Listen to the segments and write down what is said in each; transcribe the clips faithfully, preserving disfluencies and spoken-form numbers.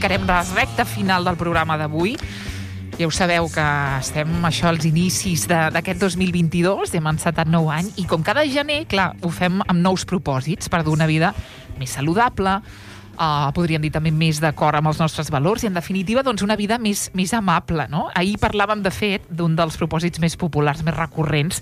arrencarem la recta final del programa d'avui. Ja ho sabeu que estem això als inicis d'aquest dos mil vint-i-dos, hem encetat nou any, i com cada gener, clar, ho fem amb nous propòsits per dur una vida més saludable, uh, podríem dir també més d'acord amb els nostres valors i, en definitiva, doncs una vida més, més amable, no? Ahir parlàvem, de fet, d'un dels propòsits més populars, més recurrents,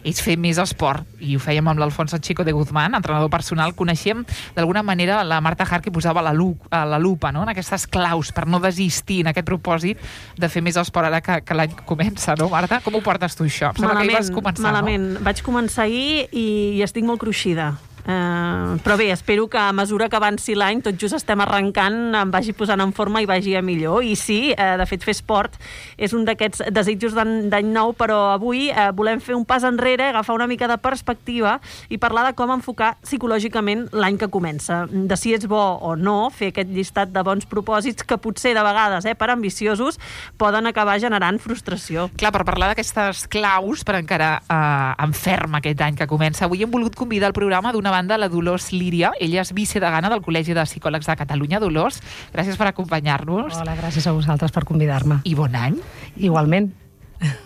és fer més esport, i ho fèiem amb l'Alfonso Chico de Guzmán, entrenador personal. Coneixem, d'alguna manera, la Marta Hart, que posava la, lu a la lupa, no?, en aquestes claus per no desistir en aquest propòsit de fer més esport ara que, que l'any comença, no, Marta? Com ho portes tu, això? Em sembla que ahir vas començar, malament. No? Vaig començar ahir i, i estic molt cruixida. Uh, però bé, espero que a mesura que avanci l'any, tot just estem arrencant, em vagi posant en forma i vagi a millor. I sí, uh, de fet, fer esport és un d'aquests desitjos d'any nou, però avui uh, volem fer un pas enrere, agafar una mica de perspectiva i parlar de com enfocar psicològicament l'any que comença. De si és bo o no fer aquest llistat de bons propòsits que potser de vegades, eh, per ambiciosos, poden acabar generant frustració. Clar, per parlar d'aquestes claus per encarar uh, en ferm aquest any que comença, avui hem volgut convidar al programa d'una banda la Dolors Líria. Ella és vicedegana del Col·legi de Psicòlegs de Catalunya. Dolors, gràcies per acompanyar-nos. Hola, gràcies a vosaltres per convidar-me. I bon any. Igualment.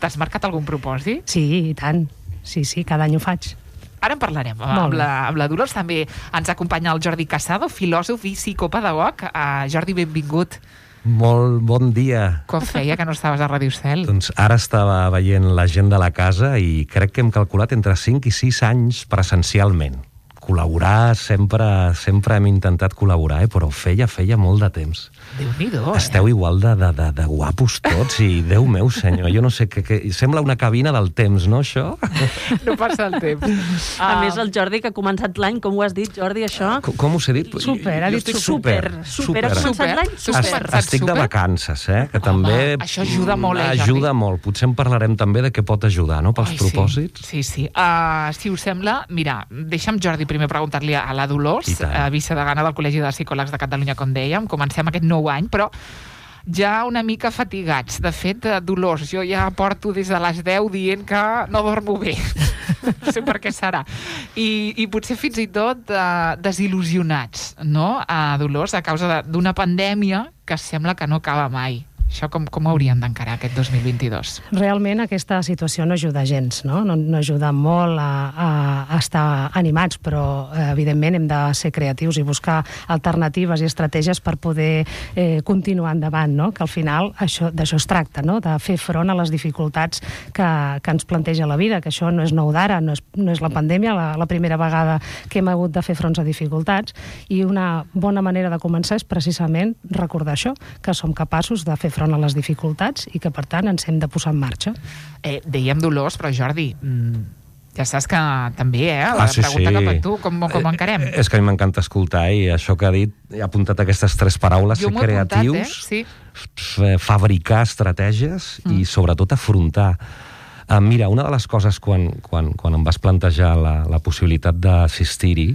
T'has marcat algun propòsit? Sí, i tant. Sí, sí, cada any ho faig. Ara en parlarem amb la, amb la Dolors. També ens acompanya el Jordi Casado, filòsof i psicopedagog. Uh, Jordi, benvingut. Molt bon dia. Com feia que no estaves a Ràdio Cel? Doncs ara estava veient la gent de la casa i crec que hem calculat entre cinc i sis anys presencialment. Col·laborar, sempre, sempre hem intentat col·laborar, eh? Però feia, feia molt de temps. Déu-n'hi-do, Esteu eh? igual de, de, de, de guapos tots i, Déu meu senyor, jo no sé, que, que sembla una cabina del temps, no, això? No passa el temps. A uh... més, el Jordi, que ha començat l'any, com ho has dit, Jordi, això? Com, com us he dit? Super, ha dit super. Super, ha començat l'any? Super. Estic de vacances, eh? Que Home, també això ajuda molt, eh, Jordi? Ajuda molt. Potser en parlarem també de què pot ajudar, no?, pels Ai, propòsits. Sí, sí. sí. Uh, si us sembla, mira, deixa'm, Jordi, primer preguntar-li a la Dolors, uh, vicedegana del Col·legi de Psicòlegs de Catalunya, com dèiem. Comencem aquest nou any, però ja una mica fatigats. De fet, Dolors, jo ja porto des de les deu dient que no dormo bé. No sé per què serà. I, i potser fins i tot uh, desil·lusionats, no, uh, Dolors, a causa d'una pandèmia que sembla que no acaba mai. Això com, com hauríem d'encarar aquest dos mil vint-i-dos? Realment aquesta situació no ajuda gens, no? No, no ajuda molt a, a, a estar animats, però eh, evidentment hem de ser creatius i buscar alternatives i estratègies per poder eh, continuar endavant, no? Que al final d'això es tracta, no? De fer front a les dificultats que, que ens planteja la vida, que això no és nou d'ara, no, és, no és la pandèmia, la, la primera vegada que hem hagut de fer fronts a dificultats, i una bona manera de començar és precisament recordar això, que som capaços de fer front a les dificultats i que, per tant, ens hem de posar en marxa. Eh, dèiem Dolors, però Jordi, mm, ja saps que també, eh, la ah, sí, pregunta sí. cap a tu, com, com encarem? Eh, és que a mi m'encanta escoltar, i això que ha dit, he apuntat aquestes tres paraules, ser creatius, eh? sí. fabricar estratègies mm. i, sobretot, afrontar. Uh, mira, una de les coses, quan, quan, quan em vas plantejar la, la possibilitat d'assistir-hi,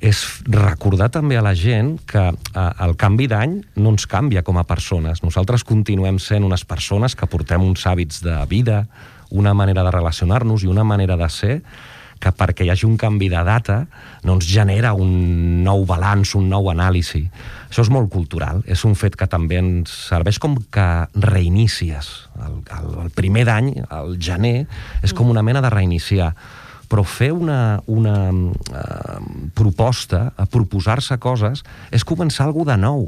és recordar també a la gent que eh, el canvi d'any no ens canvia com a persones. Nosaltres continuem sent unes persones que portem uns hàbits de vida, una manera de relacionar-nos i una manera de ser, que perquè hi hagi un canvi de data no ens genera un nou balanç, un nou anàlisi. Això és molt cultural, és un fet que també ens serveix com que reinicies. El, el, el primer d'any, el gener, és com una mena de reiniciar. Però fer una, una uh, proposta, a proposar-se coses, és començar alguna de nou.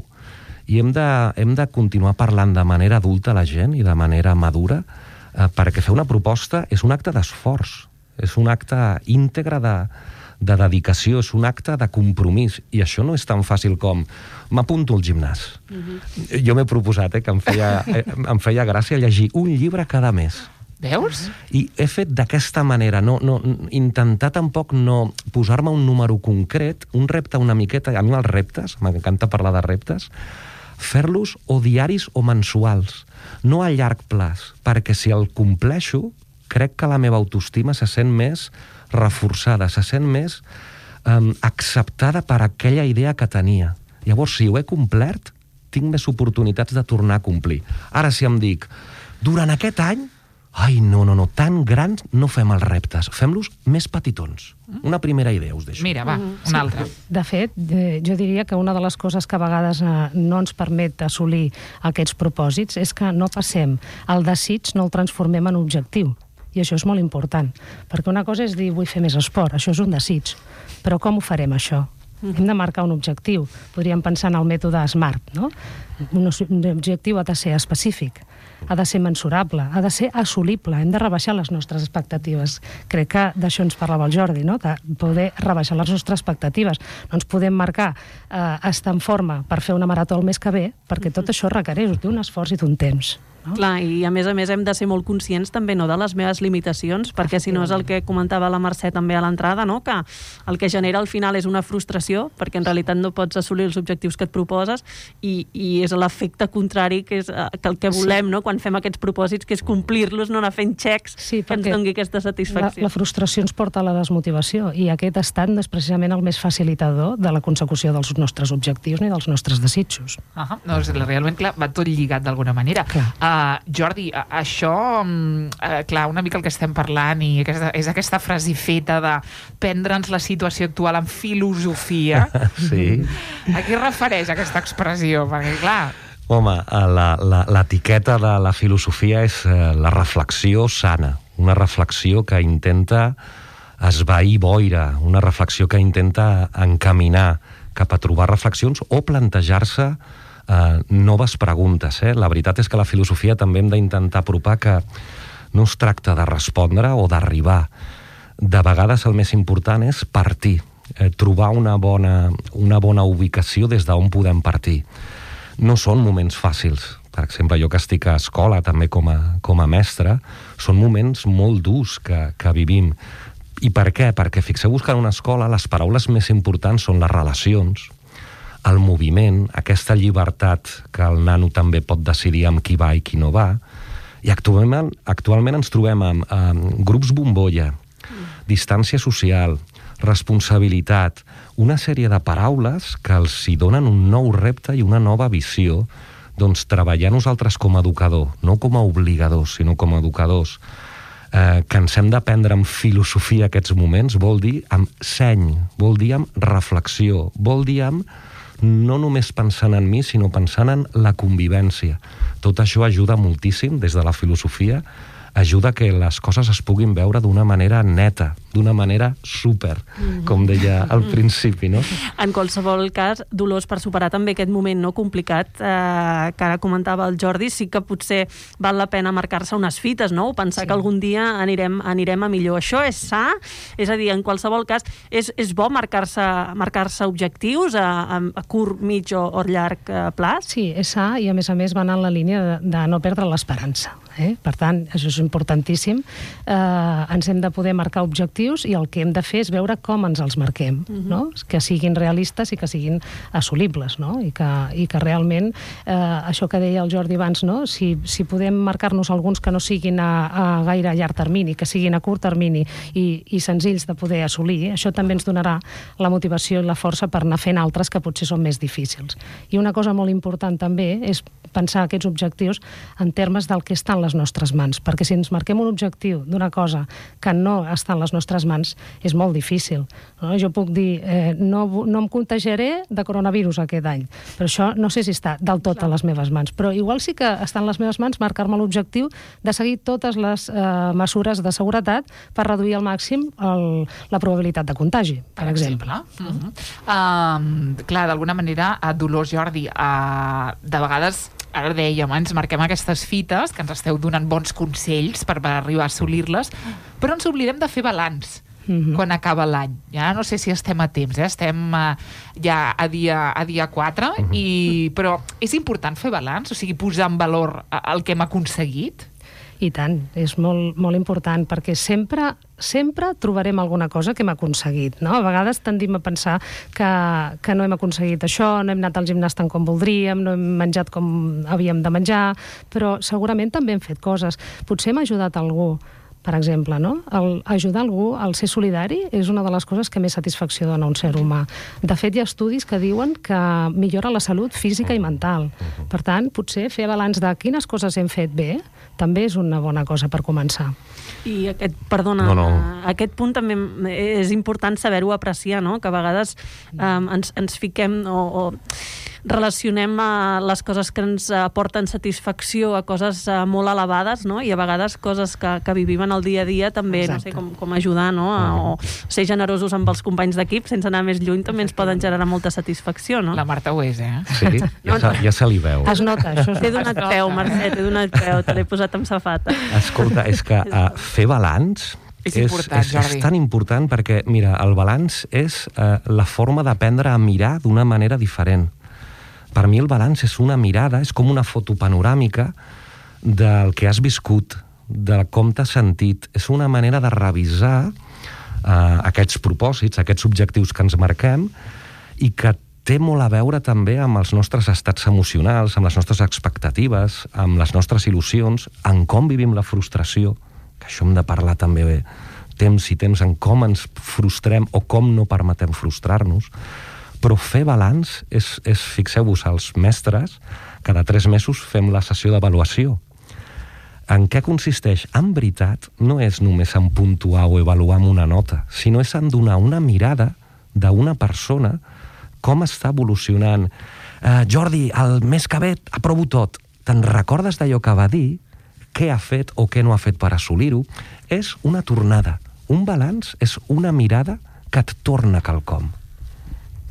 I hem de, hem de continuar parlant de manera adulta a la gent i de manera madura, uh, perquè fer una proposta és un acte d'esforç, és un acte íntegre de, de dedicació, és un acte de compromís. I això no és tan fàcil com m'apunto al gimnàs. Uh-huh. Jo m'he proposat eh, que em feia, eh, em feia gràcia llegir un llibre cada mes. Veus? I he fet d'aquesta manera, no, no, intentar tampoc no posar-me un número concret, un repte una miqueta, a mi els reptes, m'encanta parlar de reptes, fer-los o diaris o mensuals, no a llarg plaç, perquè si el compleixo, crec que la meva autoestima se sent més reforçada, se sent més um, acceptada per aquella idea que tenia. Llavors, si ho he complert, tinc més oportunitats de tornar a complir. Ara, si em dic, durant aquest any ai, no, no, no, tan grans no fem els reptes, fem-los més petitons. Una primera idea us deixo. Mira, va, una altra. De fet, eh, jo diria que una de les coses que a vegades eh, no ens permet assolir aquests propòsits és que no passem el desig, no el transformem en objectiu. I això és molt important, perquè una cosa és dir vull fer més esport, això és un desig, però com ho farem això? Hem de marcar un objectiu. Podríem pensar en el mètode SMART, no? Un objectiu ha de ser específic, ha de ser mensurable, ha de ser assolible, hem de rebaixar les nostres expectatives. Crec que d'això ens parlava el Jordi, no? De poder rebaixar les nostres expectatives. No ens podem marcar eh, estar en forma per fer una marató el mes que ve, perquè tot això requereix d'un esforç i d'un temps. No? Clar, i a més a més hem de ser molt conscients també no de les meves limitacions, perquè si no és el que comentava la Mercè també a l'entrada, no? Que el que genera al final és una frustració, perquè en realitat no pots assolir els objectius que et proposes i, i és l'efecte contrari que és que el que volem, sí. No? Quan fem aquests propòsits, que és complir-los, no anar fent xecs sí, que ens doni aquesta satisfacció. La, la frustració ens porta a la desmotivació i aquest estat no és precisament el més facilitador de la consecució dels nostres objectius ni dels nostres desitjos. Uh-huh. No, és, realment, clar, va tot lligat d'alguna manera. Clar. Uh, Jordi, això, uh, clar, una mica el que estem parlant i aquesta, és aquesta frase feta de prendre'ns la situació actual amb filosofia. Sí. A què es refereix aquesta expressió? Perquè, clar... Home, l'etiqueta de la filosofia és eh, la reflexió sana, una reflexió que intenta esvair boira, una reflexió que intenta encaminar cap a trobar reflexions o plantejar-se eh, noves preguntes. Eh? La veritat és que la filosofia també hem d'intentar apropar que no es tracta de respondre o d'arribar. De vegades el més important és partir, eh, trobar una bona, una bona ubicació des d'on podem partir. No són moments fàcils. Per exemple, jo que estic a escola també com a, com a mestre, són moments molt durs que, que vivim. I per què? Perquè fixeu-vos que en una escola les paraules més importants són les relacions, el moviment, aquesta llibertat que el nano també pot decidir amb qui va i qui no va. I actualment, actualment ens trobem amb, amb grups bombolla, distància social, responsabilitat, una sèrie de paraules que els hi donen un nou repte i una nova visió, doncs treballar nosaltres com a educador, no com a obligadors, sinó com a educadors, eh, que ens hem d'aprendre amb filosofia aquests moments, vol dir amb seny, vol dir amb reflexió, vol dir amb no només pensant en mi, sinó pensant en la convivència. Tot això ajuda moltíssim, des de la filosofia, ajuda que les coses es puguin veure d'una manera neta, d'una manera súper, com deia al principi, no? En qualsevol cas, Dolors, per superar també aquest moment no complicat eh, que ara comentava el Jordi, sí que potser val la pena marcar-se unes fites, no? O pensar sí. que algun dia anirem, anirem a millor. Això és sa? És a dir, en qualsevol cas, és, és bo marcar-se marcar-se objectius a, a curt, mig o, o llarg eh, plaç? Sí, és sa i a més a més va anar en la línia de, de no perdre l'esperança. Eh? Per tant, això és importantíssim. Eh, ens hem de poder marcar objectius i el que hem de fer és veure com ens els marquem, uh-huh. no? Que siguin realistes i que siguin assolibles, no? I que, i que realment, eh, això que deia el Jordi abans, no? Si, si podem marcar-nos alguns que no siguin a, a gaire llarg termini, que siguin a curt termini i, i senzills de poder assolir, això també ens donarà la motivació i la força per anar fent altres que potser són més difícils. I una cosa molt important també és pensar aquests objectius en termes del que està en les nostres mans, perquè si ens marquem un objectiu d'una cosa que no està en les nostres mans, és molt difícil. No? Jo puc dir, eh, no, no em contagiaré de coronavirus aquest any, però això no sé si està del tot a les meves mans, però igual sí que està en les meves mans marcar-me l'objectiu de seguir totes les eh, mesures de seguretat per reduir al màxim el, la probabilitat de contagi, per, per exemple. exemple. Uh-huh. uh, clar, d'alguna manera, a Dolors, Jordi, uh, de vegades ara dèiem, ens marquem aquestes fites, que ens esteu donant bons consells per, per arribar a assolir-les, però ens oblidem de fer balanç mm-hmm. quan acaba l'any. Ja no sé si estem a temps, eh? Estem uh, ja a dia, a dia quatre, mm-hmm. i, però és important fer balanç, o sigui, posar en valor el que hem aconseguit? I tant, és molt, molt important, perquè sempre, sempre trobarem alguna cosa que hem aconseguit, no? A vegades tendim a pensar que, que no hem aconseguit això, no hem anat al gimnàs tant com voldríem, no hem menjat com havíem de menjar, però segurament també hem fet coses. Potser hem ajudat algú, per exemple, no? El ajudar algú, el ser solidari, és una de les coses que més satisfacció dona a un ser humà. De fet, hi ha estudis que diuen que millora la salut física i mental. Per tant, potser fer balanç de quines coses hem fet bé també és una bona cosa per començar. I aquest, perdona, no, no. aquest punt també és important saber-ho apreciar, no? Que a vegades um, ens, ens fiquem o, o relacionem uh, les coses que ens aporten satisfacció a coses uh, molt elevades, no? I a vegades coses que, que vivim en el dia a dia també, Exacte. no sé, com, com ajudar, no? A, o ser generosos amb els companys d'equip sense anar més lluny també ens poden generar molta satisfacció, no? La Marta ho és, eh? Sí, ja, se, ja se li veu. Es nota, això. T'he donat peu, Mercè, t'he donat peu, te l'he posat amb safata. Escolta, és que uh, fer balanç és, important, és, és, és tan important perquè, mira, el balanç és uh, la forma d'aprendre a mirar d'una manera diferent. Per mi el balanç és una mirada, és com una foto panoràmica del que has viscut, de com t'has sentit. És una manera de revisar uh, aquests propòsits, aquests objectius que ens marquem i que té molt a veure també amb els nostres estats emocionals, amb les nostres expectatives, amb les nostres il·lusions, en com vivim la frustració, que això hem de parlar també bé, temps i temps en com ens frustrem o com no permetem frustrar-nos, però fer balanç és, és fixeu-vos, els mestres, cada tres mesos fem la sessió d'avaluació. En què consisteix? En veritat, no és només en puntuar o avaluar amb una nota, sinó és en donar una mirada d'una persona com està evolucionant. Uh, Jordi, el mes que ve aprovo tot. Te'n recordes d'allò que va dir? Què ha fet o què no ha fet per assolir-ho? És una tornada. Un balanç és una mirada que et torna quelcom.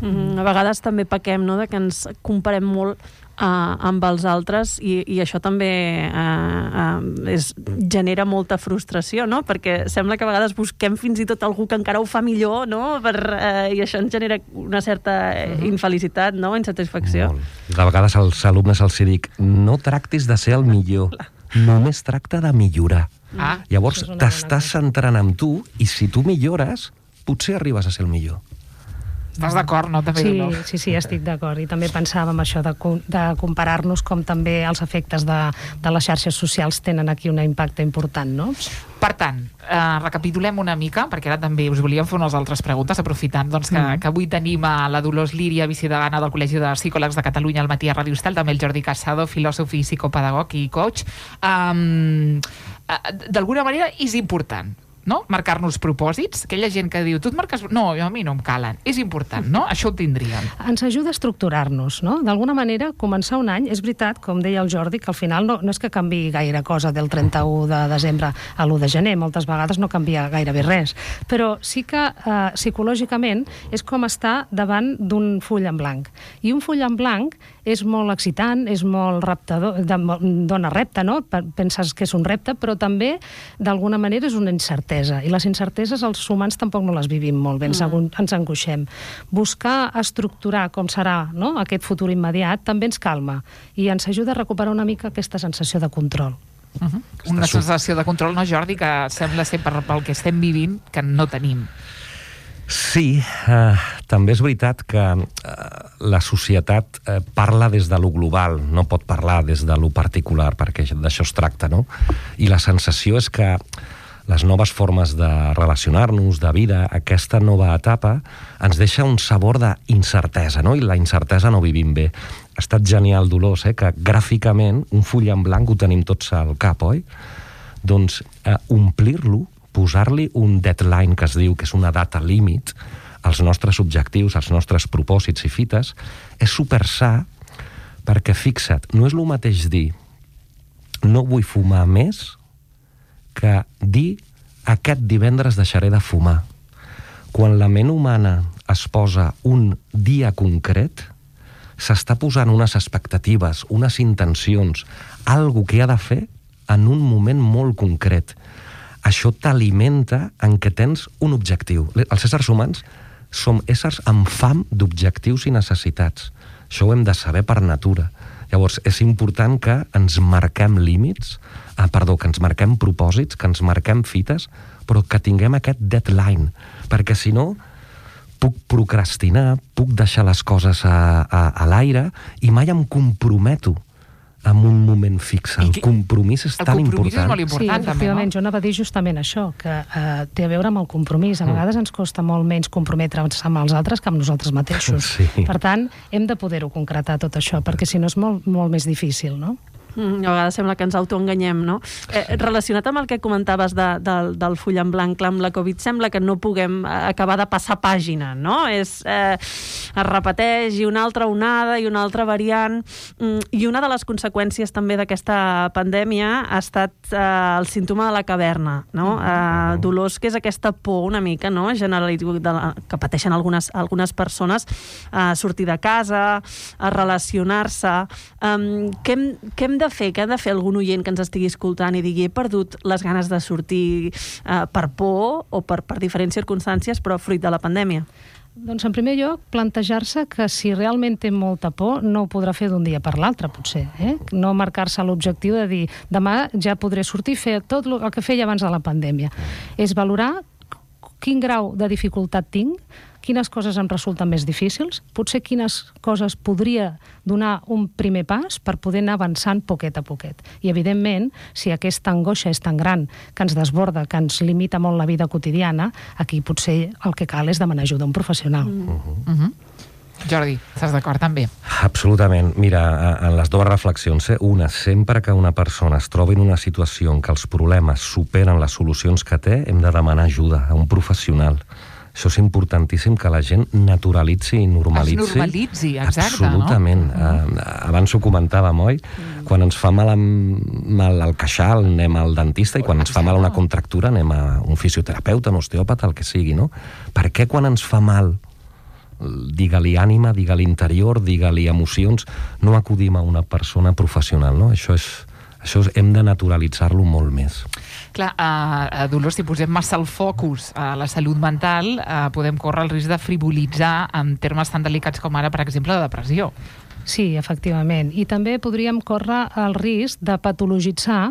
Mm, a vegades també pequem, no?, de que ens comparem molt uh, amb els altres i, i això també uh, uh, és, genera molta frustració, no?, perquè sembla que a vegades busquem fins i tot algú que encara ho fa millor, no?, per, uh, i això ens genera una certa infelicitat, no?, insatisfacció. Molt. De vegades als alumnes els dic, no tractis de ser el millor, només tracta de millorar. Ah, Llavors t'estàs centrant en tu i si tu millores, potser arribes a ser el millor. Estàs d'acord, no? També sí, no? sí, sí, estic d'acord. I també pensàvem això de, de comparar-nos com també els efectes de, de les xarxes socials tenen aquí un impacte important, no? Per tant, eh, recapitulem una mica, perquè ara també us volíem fer unes altres preguntes, aprofitant doncs, que, mm. que avui tenim a la Dolors Líria, vicedegana del Col·legi de Psicòlegs de Catalunya al matí a Ràdio Estel, també el Jordi Casado, filòsof i psicopedagog i coach. Um, D'alguna manera és important, no?, marcar-nos propòsits. Aquella gent que diu, tu et marques... No, a mi no em calen. És important, no? Això ho tindríem. Ens ajuda a estructurar-nos, no? D'alguna manera, començar un any, és veritat, com deia el Jordi, que al final no, no és que canvi gaire cosa del trenta-u de desembre a l'u de gener, moltes vegades no canvia gairebé res, però sí que eh, psicològicament és com estar davant d'un full en blanc. I un full en blanc és molt excitant, és molt reptador, dona repte, no? Penses que és un repte, però també, d'alguna manera, és una incertesa. I les incerteses els humans tampoc no les vivim molt bé, ens, mm. ens angoixem. Buscar estructurar com serà, no?, aquest futur immediat també ens calma i ens ajuda a recuperar una mica aquesta sensació de control. Uh-huh. Una sensació de control, no, Jordi, que sembla ser per, pel que estem vivint que no tenim. Sí, eh, també és veritat que eh, la societat eh, parla des de lo global, no pot parlar des de lo particular, perquè d'això es tracta, no? I la sensació és que les noves formes de relacionar-nos, de vida, aquesta nova etapa, ens deixa un sabor d'incertesa, no? I la incertesa no vivim bé. Ha estat genial, Dolors, eh? Que gràficament un full en blanc ho tenim tots al cap, oi? Doncs eh, omplir-lo, posar-li un deadline, que es diu, que és una data límit, als nostres objectius, als nostres propòsits i fites, és super sa, perquè, fixa't, no és el mateix dir no vull fumar més que dir aquest divendres deixaré de fumar. Quan la ment humana es posa un dia concret, s'està posant unes expectatives, unes intencions, algo que ha de fer en un moment molt concret. Això t'alimenta en què tens un objectiu. Els éssers humans som éssers amb fam d'objectius i necessitats. Això ho hem de saber per natura. Llavors, és important que ens marquem límits, ah, perdó, que ens marquem propòsits, que ens marquem fites, però que tinguem aquest deadline, perquè si no puc procrastinar, puc deixar les coses a, a, a l'aire i mai em comprometo en un moment fix. El compromís és tan important. El compromís és molt important, sí, també, no? Jo anava a dir justament això, que eh, té a veure amb el compromís. A vegades ens costa molt menys comprometre'ns amb els altres que amb nosaltres mateixos. Sí. Per tant, hem de poder-ho concretar tot això, perquè si no és molt, molt més difícil, no? Mm, a vegades sembla que ens autoenganyem, no? Eh, relacionat amb el que comentaves de, de, del full en blanc, clar, amb la Covid sembla que no puguem acabar de passar pàgina, no? És, eh, es repeteix i una altra onada i una altra variant, mm, i una de les conseqüències també d'aquesta pandèmia ha estat eh, el símptoma de la caverna, no? Eh, dolors, que és aquesta por una mica, no?, generalitzada que pateixen algunes, algunes persones a sortir de casa, a relacionar-se. Um, què hem, què hem de fer? Què ha de fer algun oient que ens estigui escoltant i digui he perdut les ganes de sortir eh, per por o per, per diferents circumstàncies, però fruit de la pandèmia? Doncs, en primer lloc, plantejar-se que si realment té molta por, no ho podrà fer d'un dia per l'altre, potser. Eh? No marcar-se l'objectiu de dir demà ja podré sortir i fer tot el que feia abans de la pandèmia. És valorar quin grau de dificultat tinc, quines coses em resulten més difícils, potser quines coses podria donar un primer pas per poder anar avançant poquet a poquet. I, evidentment, si aquesta angoixa és tan gran que ens desborda, que ens limita molt la vida quotidiana, aquí potser el que cal és demanar ajuda a un professional. Mm. Uh-huh. Uh-huh. Jordi, estàs d'acord també? Absolutament. Mira, en les dues reflexions, eh? una, sempre que una persona es trobi en una situació en què els problemes superen les solucions que té, hem de demanar ajuda a un professional. Això és importantíssim, que la gent naturalitzi i normalitzi. Es normalitzi, exacte, absolutament. No? Uh-huh. Uh, abans ho comentàvem, oi? Uh-huh. Quan ens fa mal, amb, mal al queixal, anem al dentista, i quan ens fa mal una contractura anem a un fisioterapeuta, un osteòpata, el que sigui, no? Per què quan ens fa mal, digue-li ànima, digue-li interior, digue-li emocions, no acudim a una persona professional, no? Això és... Això hem de naturalitzar-lo molt més. Clar, uh, Dolors, si posem massa el focus a la salut mental, uh, podem córrer el risc de frivolitzar en termes tan delicats com ara, per exemple, la depressió. Sí, efectivament. I també podríem córrer el risc de patologitzar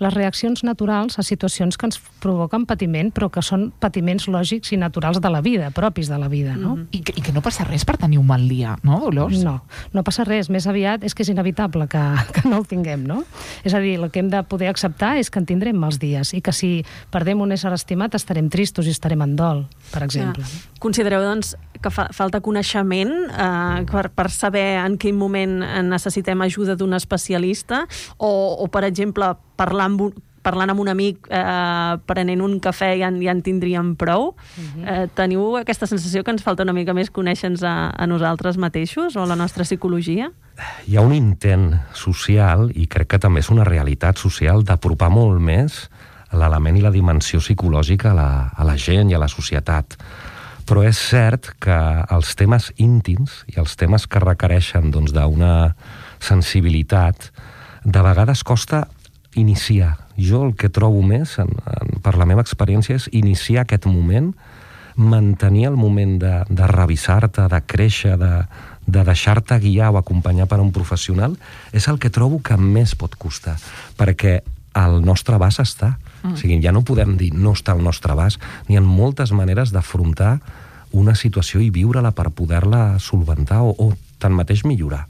les reaccions naturals a situacions que ens provoquen patiment, però que són patiments lògics i naturals de la vida, propis de la vida, no? Mm-hmm. I, que, I que no passa res per tenir un mal dia, no, Dolors? No, no passa res. Més aviat és que és inevitable que, que no el tinguem, no? És a dir, el que hem de poder acceptar és que en tindrem mals dies i que si perdem un ésser estimat estarem tristos i estarem en dol, per exemple. Ja. Considereu, doncs, que fa, falta coneixement eh, per, per saber en quin moment necessitem ajuda d'un especialista o, o per exemple, parlar amb un, parlant amb un amic, eh, prenent un cafè ja, ja en tindríem prou. Uh-huh. Eh, teniu aquesta sensació que ens falta una mica més conèixer-nos a, a nosaltres mateixos o a la nostra psicologia? Hi ha un intent social, i crec que també és una realitat social, d'apropar molt més l'element i la dimensió psicològica a la, a la gent i a la societat. Però és cert que els temes íntims i els temes que requereixen doncs, d'una sensibilitat, de vegades costa iniciar. Jo el que trobo més, en, en, per la meva experiència, és iniciar aquest moment, mantenir el moment de, de revisar-te, de créixer, de, de deixar-te guiar o acompanyar per un professional, és el que trobo que més pot costar, perquè al nostre abast està. Mm. O sigui, ja no podem dir no està al nostre abast. N'hi ha moltes maneres d'afrontar una situació i viure-la per poder-la solventar o, o tanmateix millorar.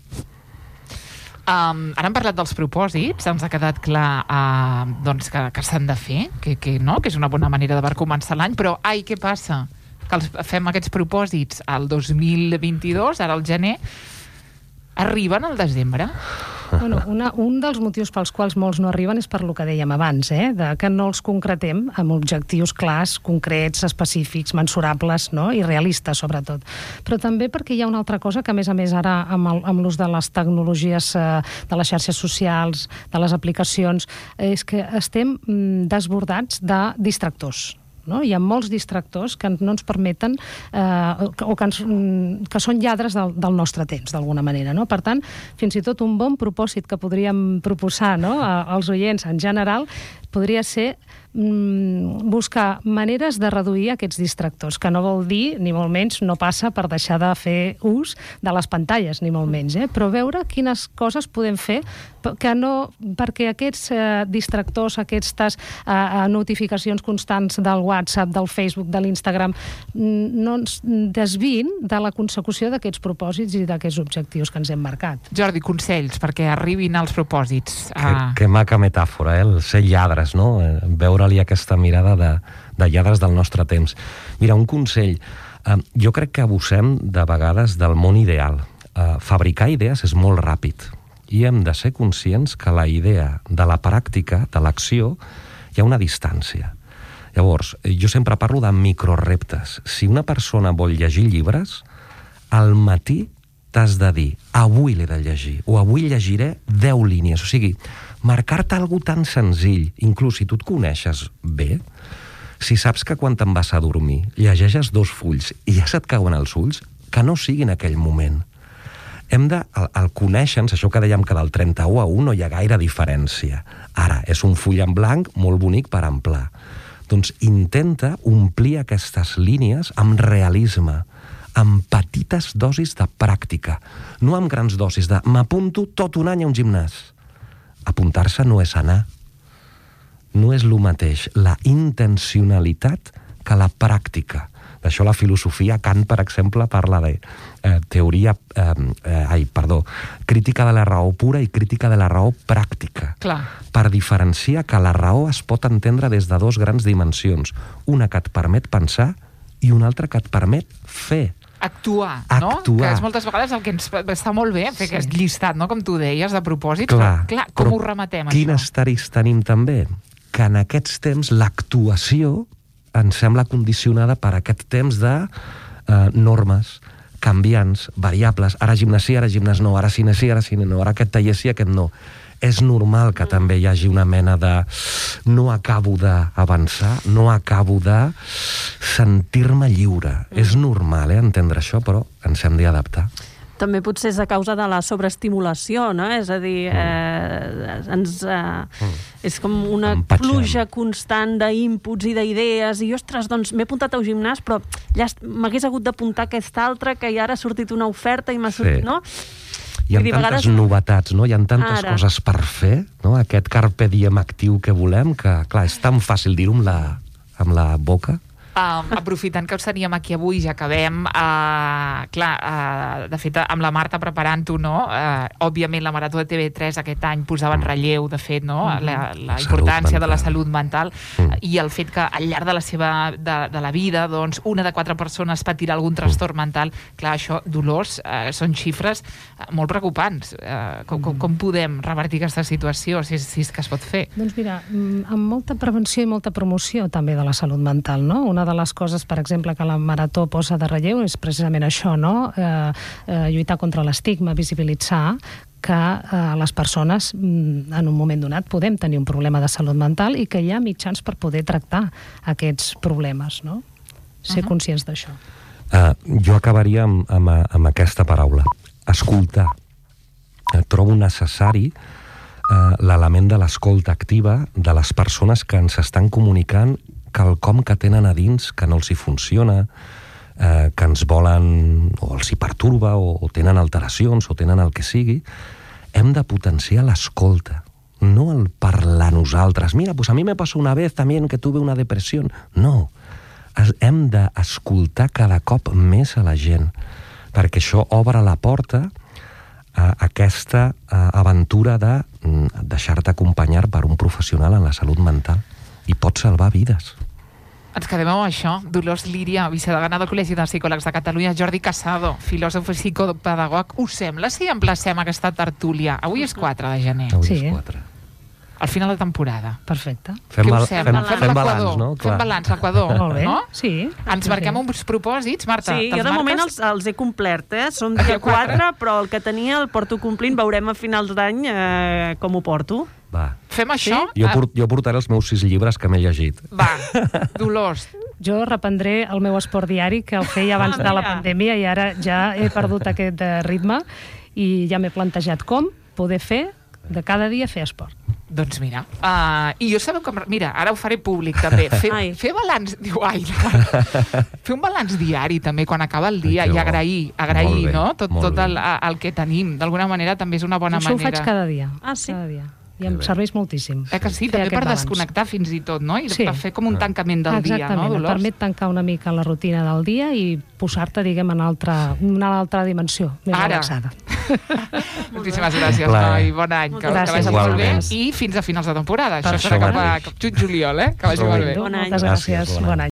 Um, ara hem parlat dels propòsits, ens ha quedat clar uh, doncs que, que s'han de fer, que, que, no? que és una bona manera de començar l'any, però ai, què passa? Que els, fem aquests propòsits al dos mil vint-i-dos, ara al gener, arriben al desembre? Bueno, una, un dels motius pels quals molts no arriben és per lo que dèiem abans, eh? de que no els concretem amb objectius clars, concrets, específics, mensurables, no? i realistes, sobretot. Però també perquè hi ha una altra cosa que, a més a més, ara amb, el, amb l'ús de les tecnologies, eh, de les xarxes socials, de les aplicacions, és que estem mm, desbordats de distractors. No? Hi ha molts distractors que no ens permeten eh, o que, ens, que són lladres del, del nostre temps, d'alguna manera. No? Per tant, fins i tot un bon propòsit que podríem proposar, no? als oients en general, podria ser mm, buscar maneres de reduir aquests distractors, que no vol dir, ni molt menys, no passa per deixar de fer ús de les pantalles, ni molt menys, eh? Però veure quines coses podem fer que no, perquè aquests eh, distractors, aquestes eh, notificacions constants del WhatsApp, del Facebook, de l'Instagram, no ens desvin de la consecució d'aquests propòsits i d'aquests objectius que ens hem marcat. Jordi, consells perquè arribin als propòsits. Que, que maca metàfora, eh? El ser lladres, no? Veure-li aquesta mirada de, de lladres del nostre temps. Mira, un consell. Uh, jo crec que abusem de vegades del món ideal. Uh, fabricar idees és molt ràpid i hem de ser conscients que la idea de la pràctica, de l'acció, hi ha una distància. Llavors, jo sempre parlo de microreptes. Si una persona vol llegir llibres, al matí t'has de dir, avui l'he de llegir, o avui llegiré deu línies. O sigui, marcar-te alguna tan senzill, inclús si tu et coneixes bé, si saps que quan te'n vas a dormir llegeixes dos fulls i ja se't cauen els ulls, que no sigui en aquell moment. Hem de, al, al conèixer-nos, això que dèiem que del trenta-u a u no hi ha gaire diferència. Ara, és un full en blanc molt bonic per amplar. Doncs intenta omplir aquestes línies amb realisme, amb petites dosis de pràctica, no amb grans dosis de m'apunto tot un any a un gimnàs. Apuntar-se no és anar. No és el mateix la intencionalitat que la pràctica. D'això la filosofia, Kant, per exemple, parla de eh, teoria, eh, eh, ai, perdó, crítica de la raó pura i crítica de la raó pràctica. Clar. Per diferenciar que la raó es pot entendre des de dos grans dimensions. Una que et permet pensar i una altra que et permet fer. Actuar, no? Actuar. Que és moltes vegades el que ens està molt bé, fer Sí. aquest llistat, no? Com tu deies, de propòsits. Clar, Però, clar, com però ho rematem, quin això? estaris tenim també? Que en aquests temps l'actuació ens sembla condicionada per aquest temps de eh, normes, canviants, variables. Ara gimnàs sí, ara gimnàs no, ara cine sí, ara cine no, ara aquest taller sí, aquest no. És normal que també hi hagi una mena de no acabo d'avançar, no acabo de sentir-me lliure. Mm. És normal, eh, entendre això, però ens hem d'adaptar. També potser és a causa de la sobreestimulació, no? És a dir, eh, ens, eh, mm. és com una Empatxem. pluja constant d'inputs i d'idees, i ostres, doncs m'he apuntat al gimnàs, però ja m'hagués hagut d'apuntar aquesta altra, que ja ara ha sortit una oferta i m'ha sortit, Sí. no? Hi ha Vull dir, tantes vegades... novetats, no? Hi ha tantes Ara. coses per fer, no? Aquest carpe diem actiu que volem, que, clar, és tan fàcil dir-ho amb la, amb la boca. Um, aprofitant que us teníem aquí avui, ja acabem, uh, clar, uh, de fet, amb la Marta preparant-ho, no? Uh, òbviament, la Marató de T V tres aquest any posava en relleu, de fet, no? La, la importància de la salut mental Mm. i el fet que al llarg de la seva de, de la vida, doncs, una de quatre persones patirà algun trastorn mental. Clar, això, Dolors, uh, són xifres uh, molt preocupants. Uh, com, com, com podem revertir aquesta situació, si, si és que es pot fer? Doncs mira, amb molta prevenció i molta promoció també de la salut mental, no? Una de les coses, per exemple, que la Marató posa de relleu és precisament això, no? Eh, eh, lluitar contra l'estigma, visibilitzar que eh, les persones en un moment donat podem tenir un problema de salut mental i que hi ha mitjans per poder tractar aquests problemes, no? Ser Uh-huh. conscients d'això. Uh, jo acabaria amb, amb, amb aquesta paraula. Escoltar. Uh, trobo necessari uh, l'element de l'escolta activa de les persones que ens estan comunicant quelcom que tenen a dins que no els hi funciona, eh, que ens volen, o els hi perturba, o, o tenen alteracions, o tenen el que sigui. Hem de potenciar l'escolta, no el parlar nosaltres. Mira, pues a mi me pasó una vez también que tuve una depresión. No, es, hem d'escoltar cada cop més a la gent, perquè això obre la porta a aquesta a, aventura de mm, deixar-te acompanyar per un professional en la salut mental. I pot salvar vides. Ens quedem amb això. Dolors Líria, vicedegana del Col·legi de Psicòlegs de Catalunya, Jordi Casado, filòsof i psicopedagog. Us sembla si emplacem aquesta tertúlia? Avui és quatre de gener, Avui Sí. és quatre. al final de temporada. Perfecte. Fem, Què bal us sembla? fem, fem balanç, l'Equador. no? Fem balanç, l'Equador, Molt bé. no? Sí. Ens marquem uns propòsits, Marta. Sí, te'ls jo de moment marques? els, els he complert, eh? Som Ah, dia quatre? quatre, però el que tenia el porto complint. Veurem a finals d'any eh, com ho porto. Va. Fem això? Jo, Ah, port, jo portaré els meus sis llibres que m'he llegit. Va, Dolors. Jo reprendré el meu esport diari, que el feia abans Ah, de la mira. pandèmia i ara ja he perdut aquest eh, ritme i ja m'he plantejat com poder fer de cada dia fer esport. Doncs mira, uh, i jo sabeu com... Mira, ara ho faré públic també. Fer, fer balanç... Diu, ai, fer un balanç diari també quan acaba el dia, ai, i agrair, agrair, bé, no? Tot, tot el, el que tenim. D'alguna manera també és una bona Això manera. Això ho faig cada dia. Ah, sí? Cada dia. I em serveix moltíssim. Eh que sí, també per balanç. Desconnectar fins i tot, no? I sí. Per fer com un tancament del Exactament. dia, no, Dolors? Exactament, et permet tancar una mica la rutina del dia i posar-te, diguem, en altra, una altra dimensió, més Ara. relaxada. Moltíssimes gràcies, noi. Bon any. Que, que vagi molt bé. I fins a finals de temporada. Això serà cap a juny-juliol, eh? Que vagi molt bé. Bon any. Moltes gràcies. Bon any.